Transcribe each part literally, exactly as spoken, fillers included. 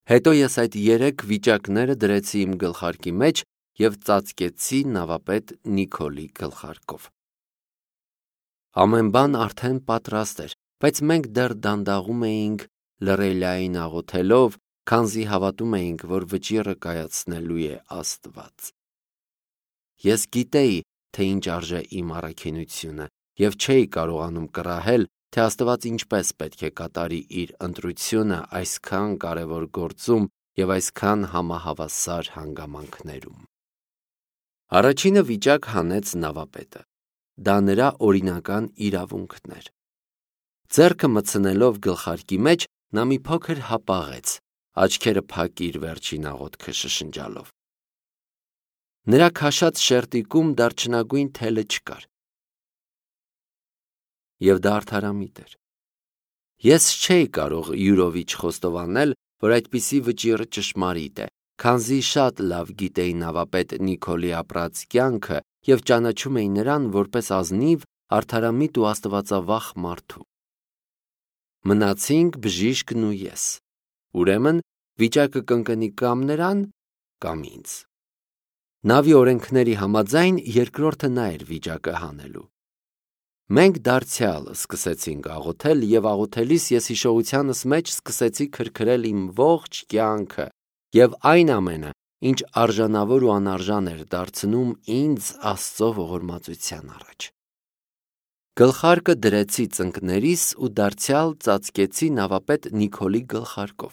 Հետո ես այդ երեք վիճակները դրեցի իմ գլխարկի մեջ և ծածկեցի նավապետ Նիկոլի գլխարկով։ Ամեն բան արդեն պատրաստ էր, բայց մենք դեռ դանդաղում էինք լռելիային աղոթելով, քանզի հավատում էինք, որ վճիռը կայացնելու է Աստված։ Ես գիտեի, թե ինչ արժե իմ առաքինությունը, և չէի կարողանում կռահել, թե Աստված ինչպես պետք է կատարի իր ընտրությունը այսքան կարևոր գործում և այսքան համահավասար հանգամանքներում։ Առաջինը վիճակ հանեց նավապետը։ Դա նրա օրինական իրավունքն էր։ Ձեռքը մտցնելով գլխարկի մեջ, նա մի փոքր հապաղեց, աչքերը փակիր վերջին աղոթքը շշնջալով։ Նրա քաշած շերտիկում դարչնագույն թելը չկար։ Եվ դա արդարամիտ էր։ Ես չէի կարող յուրովի չխոստովանել, որ այդպիսի վճիռը ճշմարիտ է, քանզի շատ լավ գիտեի նավապետ Նիկոլի ապրած կյանքը և ճանաչում էի նրան որպես ազնիվ, արդարամիտ ու աստվածավախ մարդու։ Մնացինք բժիշկն ու ես։ Ուրեմն վիճակը կընկնի կամ նրան, կամ ինձ։ Նավի օրենքների համաձայն երկրորդը նա էր վիճակը հանելու։ Մենք դարձյալ սկսեցինք աղոթել և աղոթելիս ես հիշողությանս մեջ սկսեցի քրքրել իմ ողջ կյանքը և այն ամենը, ինչ արժանավոր ու անարժան էր դարձնում ինձ Աստծո ողորմածության առաջ։ Գլխարկը դրեցի ծնկներիս ու դարձյալ ծածկեցի նավապետ Նիկոլի գլխարկով։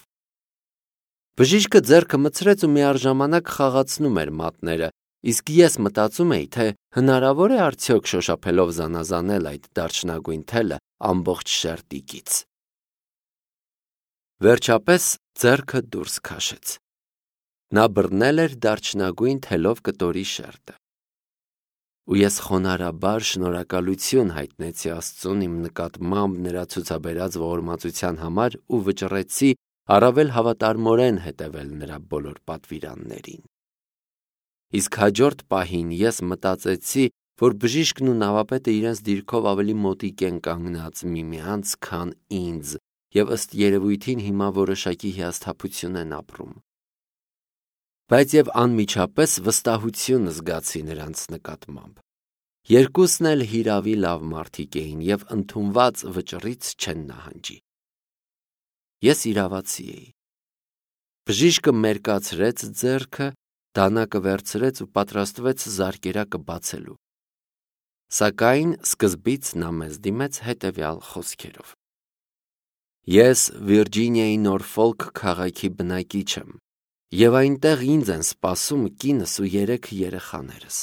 Բժիշկը ձեռքը մտցրեց ու միաժամանակ խաղացնում էր մատները, իսկ ես մտածում էի, թե հնարավոր է արդյոք շոշափելով զանազանել այդ դարչնագույն թելը ամբողջ շերտիկից։ Վերջապես ձեռքը դուրս քաշեց։ Նա բռնել էր դարչնագույն թելով կտորի շերտը։ Ու ես խոնարհաբար շնորհակալություն հայտնեցի Աստծուն իմ նկատմամբ նրա ցուցաբերած ողորմածության համար ու վճռեցի առավել հավատարմորեն հետևել նրա բոլոր պատվիրաններին։ Իսկ հաջորդ պահին ես մտածեցի, որ բժիշկն ու նավապետը իրենց դիրքով ավելի մոտիկ են կանգնած միմյանց, քան ինձ, և ըստ երևույթին հիմա որոշակի հիասթափություն են ապրում։ Բայց և անմիջապես վստահություն զգացի նրանց նկատմամբ։ Երկուսն էլ հիրավի լավ մարդիկ էին և ընդունված վճռից չեն նահանջի։ Ես իրավացի էի։ Բժիշկը մերկացրեց ձեռքը, դանակը վերցրեց ու պատրաստվեց զարկերակը բացելու։ Սակայն սկզբից նա մեզ դիմեց հետևյալ խոսքերով. Ես Վիրջինիայի Նորֆոլք քաղաքի բնակիչ եմ, և այնտեղ ինձ են սպասում կինս ու երեք երեխաներս։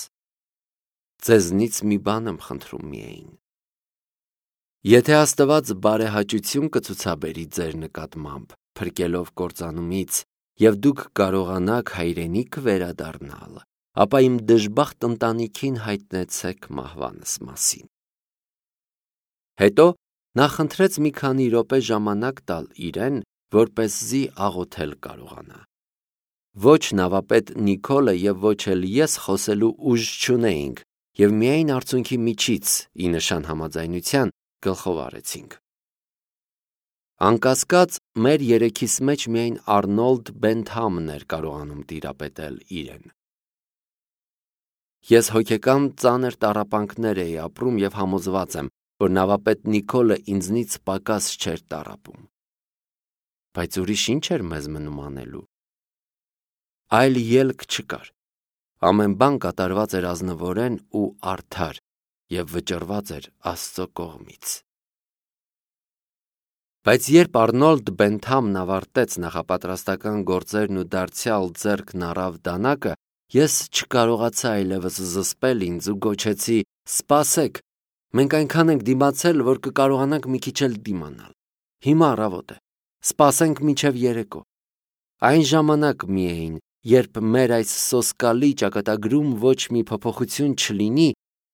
Ձեզնից մի բան եմ խնդրում միայն։ Եթե Աստված բարեհաճություն կցուցաբերի ձեր նկատմամբ, փրկելով կործանումից, և դուք կարողանաք հայրենիք վերադառնալ, ապա իմ դժբախտ ընտանիքին հայտնեցեք մահվանս մասին։ Հետո նա խնդրեց մի քանի րոպե ժամանակ տալ իրեն, որպեսզի աղոթել կարողանա։ Ոչ նավապետ Նիկոլը և ոչ էլ ես խոսելու ուժ չունեինք և միայն արցունքի միջից, ի նշան համաձայնության, գլխով արեցինք։ Անկասկած, մեր երեքիս մեջ միայն Արնոլդ Բենթամն էր կարողանում տիրապետել իրեն։ Ես հոգեկան ծանր տառապանքներ էի ապրում և համոզված եմ, որ նավապետ Նիկոլը ինձնից պակաս չէր տառապում։ Բայց ուրիշ ինչ էր մեզ մնում անելու։ Այլ ելք չկար։ Ամեն բան կատարված էր ազնվորեն ու արդար և վճռված էր Աստծո կողմից։ Բայց երբ Արնոլդ Բենթամն ավարտեց նախապատրաստական գործերն ու դարձյալ ձեռքն առավ դանակը, ես չկարողացա այլևս զսպել ինձ ու գոչեցի. «Սպասեք, մենք այնքան ենք դիմացել, որ կկարողանանք մի քիչ էլ դիմանալ։ Հիմա առավոտ է, սպասենք մինչև երեկո։ Այն ժամանակ միայն, երբ մեր այս սոսկալի ճակատագրում ոչ մի փոփոխություն չլինի,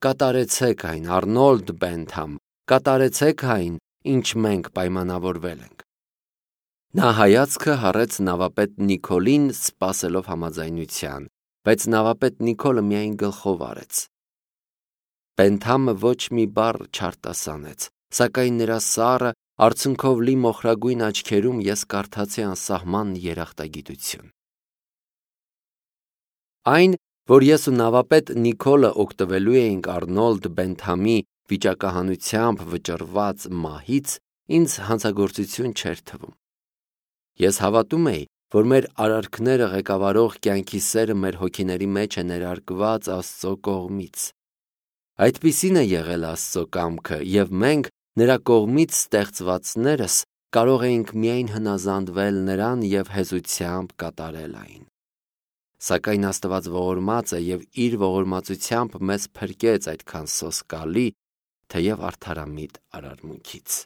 կատարեցեք այն, Արնոլդ Բենթամ, կատարեցեք այն, ինչ մենք պայմանավորվել ենք»։ Նա հայացքը հառեց նավապետ Նիկոլին, սպասելով համաձայնության, բայց նավապետ Նիկոլը միայն գլխով արեց։ Բենթամը ոչ մի բառ չարտասանեց, սակայն նրա սառը, արցունքով լի մոխրագույն աչքերում ես կարդացի անսահման երախտագիտություն։ Այն, որ ես ու նավապետ Նիկոլը օգտվելու էինք Արնոլդ Բենթամի վիճակահանությամբ վճռված մահից, ինձ հանցագործություն չէր թվում։ Ես հավատում էի, որ մեր արարքները ղեկավարող կյանքի սերը մեր հոգիների մեջ է ներարկված Աստծո կողմից։ Այդպիսին է եղել Աստծո կամքը, և մենք, նրա կողմից ստեղծվածներս, կարող էինք միայն հնազանդվել նրան և հեզությամբ կատարել այն։ Սակայն Աստված ողորմած է և իր ողորմածությամբ մեզ փրկեց այդքան սոսկալի, թեև արդարամիտ արարմունքից։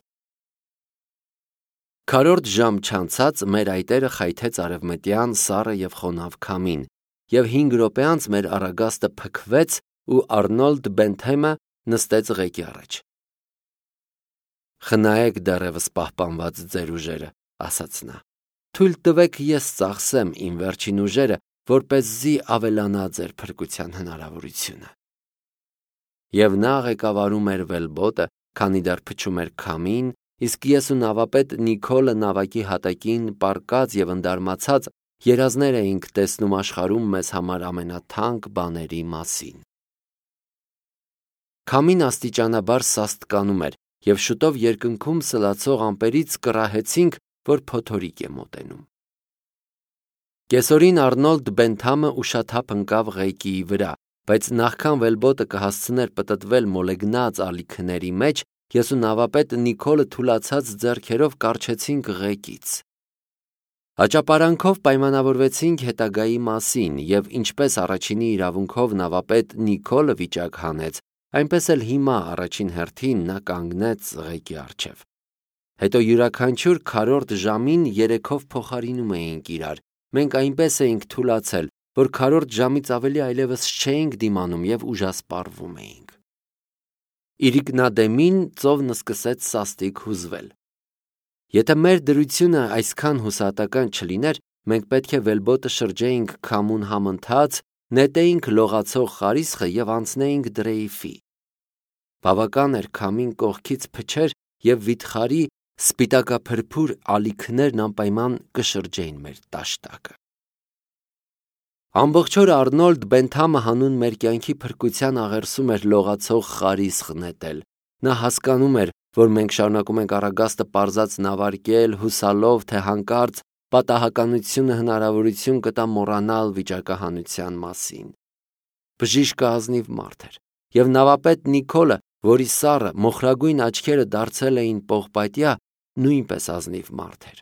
Քառորդ ժամ չանցած մեր այտերը խայթեց արևմտյան սառը և խոնավ քամին, և հինգ րոպե անց մեր առագաստը փքվեց ու Արնոլդ Բենթեմը նստեց ղեկի առաջ։ «Խնայեք դեռևս պահպանված ձեր ուժերը», ասաց նա։ «Թույլ տվեք ես ծախսեմ իմ վերջին ուժերը, որպեսզի ավելանա ձեր փրկության հնարավորությունը»։ Եվ նա ղեկավարում էր վելբոտը, քանի դեռ փչում էր քամին, իսկ ես ու նավապետ Նիկոլը նավակի հատակին պառկած և ընդարմացած երազներ էինք տեսնում աշխարհում մեզ համար ամենաթանկ բաների մասին։ Քամին աստիճանաբար սաստկանում էր, և շուտով երկնքում սլացող ամպերից կռահեցինք, որ փոթորիկ է մոտենում։ Կեսօրին Արնոլդ Բենթամը ուշաթափ ընկավ ղեկիի վրա, բայց նախքան վելբոտը կհասցներ պտտվել մոլեգնած ալիքների մեջ, ես ու նավապետ Նիկոլը թուլացած ձեռքերով կառչեցինք ղեկից։ Աճապարանքով պայմանավորվեցինք հետագայի մասին, և ինչպես առաջինի իրավունքով նավապետ Նիկոլը վիճակ հանեց, այնպես էլ հիմա առաջին հերթին նա կանգնեց ղեկի առջև։ Հետո յուրաքանչյուր քառորդ ժամին երեքով փոխարինում էինք իրար, մենք այնպես էինք թուլացել, որ քառորդ ժամից ավելի այլևս չէինք դիմանում և ուժասպառվում էինք։ Իրիկնադեմին ծովն սկսեց սաստիկ հուզվել։ Եթե մեր դրությունը այսքան հուսահատական չլիներ, մենք պետք է վելբոտը շրջեինք քամուն համընթաց, նետեինք լողացող խարիսխը և անցնեինք դրեյֆի։ Բավական էր քամին կողքից փչեր, և վիթխարի սպիտակափրփուր ալիքներն անպայման կշրջեին մեր տաշտակը։ Ամբողջ օրը Արնոլդ Բենթամը հանուն մեր կյանքի փրկության աղերսում էր լողացող խարիսխ նետել։ Նա հասկանում էր, որ մենք շարունակում ենք առագաստը պարզած նավարկել, հուսալով, թե հանկարծ պատահականությունը հնարավորություն կտա մոռանալ վիճակահանության մասին։ Բժիշկը ազնիվ մարդ էր, և նավապետ Նիկոլը, որի սառը, մոխրագույն աչքերը դարձել էին պողպատյա, նույնպես ազնիվ մարդ էր։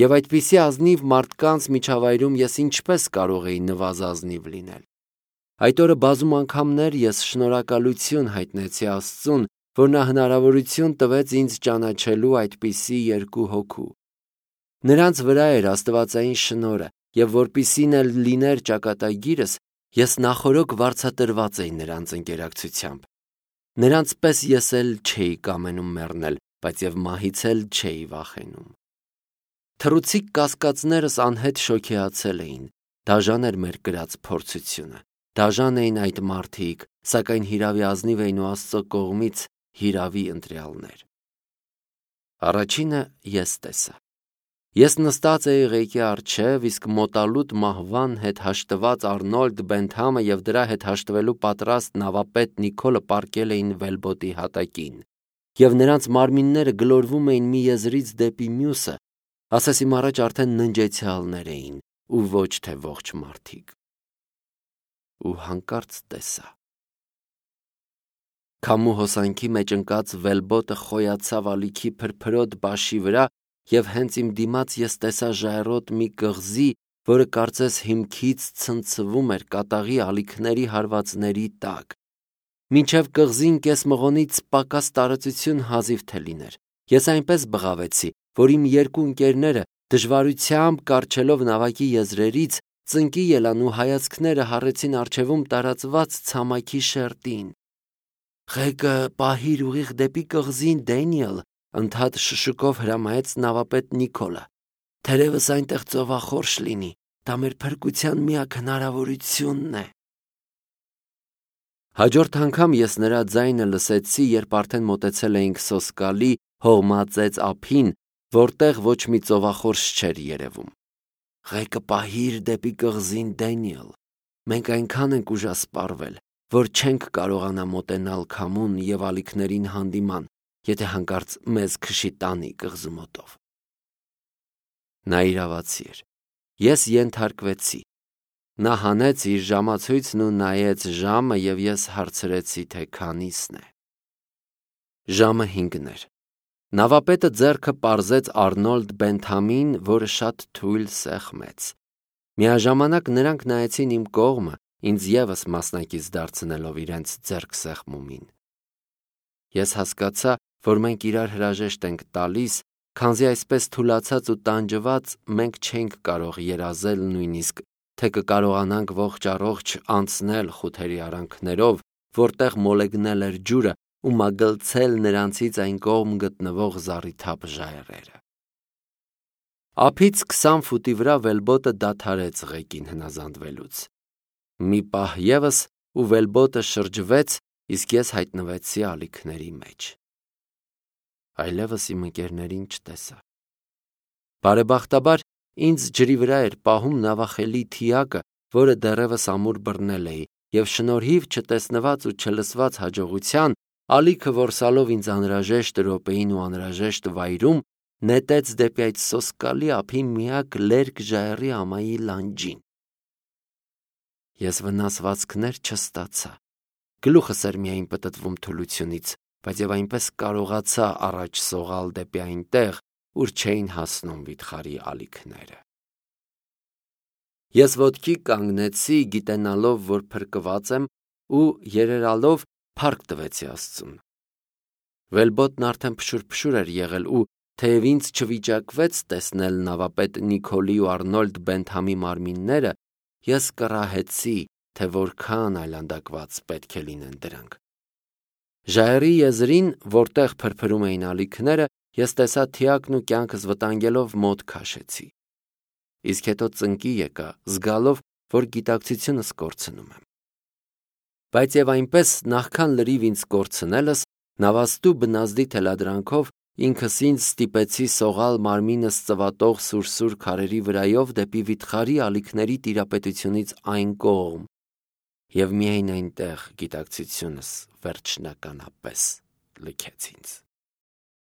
Եվ այդպիսի ազնիվ մարդկանց միջավայրում ես ինչպես կարող էի նվազազնիվ լինել։ Այդ օրը բազում անգամներ ես շնորհակալություն հայտնեցի Աստծուն, որ նա հնարավորություն տվեց ինձ ճանաչելու այդպիսի երկու հոգու։ Նրանց վրա էր աստվածային շնորհը, և որպիսին էլ լիներ ճակատագիրս, ես նախօրոք վարձատրված էի նրանց ընկերակցությամբ։ Նրանց պես ես էլ չէի կամենում մեռնել, բայց և մահից էլ չէի վախենում։ Թռուցիկ կասկածներս անհետ շոգեացել էին, դաժան էր մեր կրած փորձությունը, դաժան էին այդ մարդիկ, սակայն հիրավի ազնիվ էին ու Աստծո կողմից հիրավի ընտրյալներ։ Առաջինը ես տեսա։ Ես նստած էի ղեկի առջև, իսկ մոտալուտ մահվան հետ հաշտված Արնոլդ Բենթամը և դրա հետ հաշտվելու պատրաստ նավապետ Նիկոլը պառկել էին վելբոտի հատակին, և նրանց մարմինները գլորվում էին մի եզրից դեպի մյուսը, ասես իմ առաջ արդեն ննջեցյալներ էին ու ոչ թե ողջ մարդիկ։ Ու հանկարծ տեսա։ Քամու հոսանքի մեջ ընկած վելբոտը խոյացավ ալիքի փրփրոտ բաշի վրա, և հենց իմ դիմաց ես տեսա ժայռոտ մի կղզի, որը կարծես հիմքից ցնցվում էր կատաղի ալիքների հարվածների տակ։ Մինչև կղզին կես մղոնից պակաս տարածություն հազիվ թե լիներ։ Ես այնպես բղավեցի, որ իմ երկու ընկերները, դժվարությամբ կառչելով նավակի եզրերից, ծնկի ելան ու հայացքները հառեցին առջևում տարածված ցամաքի շերտին։ «Ղեկը պահիր ուղիղ դեպի կղզին, Դենիել», ընդհատ շշուկով հրամայեց նավապետ Նիկոլը։ «Թերևս այնտեղ ծովախորշ լինի, դա մեր փրկության միակ հնարավորությունն է»։ Հաջորդ անգամ ես նրա ձայնը լսեցի, երբ արդեն մոտեցել էինք սոսկալի հողմածեց ափին, որտեղ ոչ մի ծովախորշ չէր երևում։ «Ղեկը պահիր դեպի կղզին, Դենիել, մենք այնքան ենք ուժասպառվել, որ չենք կարողանա մոտենալ քամուն և ալիքներին հանդիման, եթե հանկարծ մեզ քշի տանի կղզու մոտով»։ Նա իրավացի էր։ Ես ենթարկվեցի։ Նա հանեց իր ժամացույցն ու նայեց ժամը, և ես հարցրեցի, թե քանիսն է։ Ժամը հինգն էր։ Նավապետը ձեռքը պարզեց Արնոլդ Բենթամին, որը շատ թույլ սեղմեց։ Միաժամանակ նրանք նայեցին իմ կողմը, ինձ ևս մասնակից դարձնելով իրենց ձեռքսեղմումին։ Ես հասկացա, որ մենք իրար հրաժեշտ ենք տալիս, քանզի այսպես թուլացած ու տանջված մենք չէինք կարող երազել նույնիսկ, թե կկարողանանք ողջ առողջ անցնել խութերի արանքներով, որտեղ մոլեգնել էր ջուրը, ու մագլցել նրանցից այն կողմ գտնվող զառիթափ ժայռերը։ Ափից քսան ֆուտի վրա վելբոտը դադարեց ղեկին հնազանդվելուց։ Մի պահ ևս ու վելբոտը շրջվեց, իսկ ես հայտնվեցի ալիքների մեջ։ Այլևս իմ ընկերներին չտեսա։ Բարեբախտաբար ինձ ջրի վրա էր պահում նավախելի թիակը, որը դեռևս ամուր բռնել էի, և շնորհիվ չտեսնված ու չլսված հաջողության, ալիքը որսալով ինձ անհրաժեշտ րոպեին ու անհրաժեշտ վայրում, նետեց դեպի այդ սոսկալի ափի միակ լերկ ժայռի ամայի լանջին։ Ես վնասվածքներ չստացա։ Գլուխս էր միայն պտտվում թուլությունից, բայց և այնպես կարողացա առաջ սողալ դեպի այնտեղ, ուր չէին հասնում վիթխարի ալիքները։ Ես ոտքի կանգնեցի, գիտենալով, որ փրկված եմ, ու երերալով փառք տվեցի Աստծուն։ Վելբոտն արդեն փշուր-փշուր էր եղել, ու թեև ինձ չվիճակվեց տեսնել նավապետ Նիկոլի ու Արնոլդ Բենթամի մարմինները, ես կռահեցի, թե որքան այլանդակված պետք է լինեն դրանք։ Ժայռի եզրին, որտեղ փրփրում էին ալիքները, ես տեսա թիակն ու կյանքս վտանգելով մոտ քաշեցի։ Իսկ հետո ծնկի եկա, զգալով, որ գիտակցությունս կորցնում եմ։ Բայց և այնպես նախքան լրիվ ինձ կորցնելս, նավաստու բնազդի թելադրանքով ինքս ինձ ստիպեցի սողալ մարմինս ծվատող սուրսուր քարերի վրայով դեպի վիթխարի ալիքների տիրապետությունից այն կողմ, և միայն այնտեղ գիտակցությունս վերջնականապես լքեց ինձ։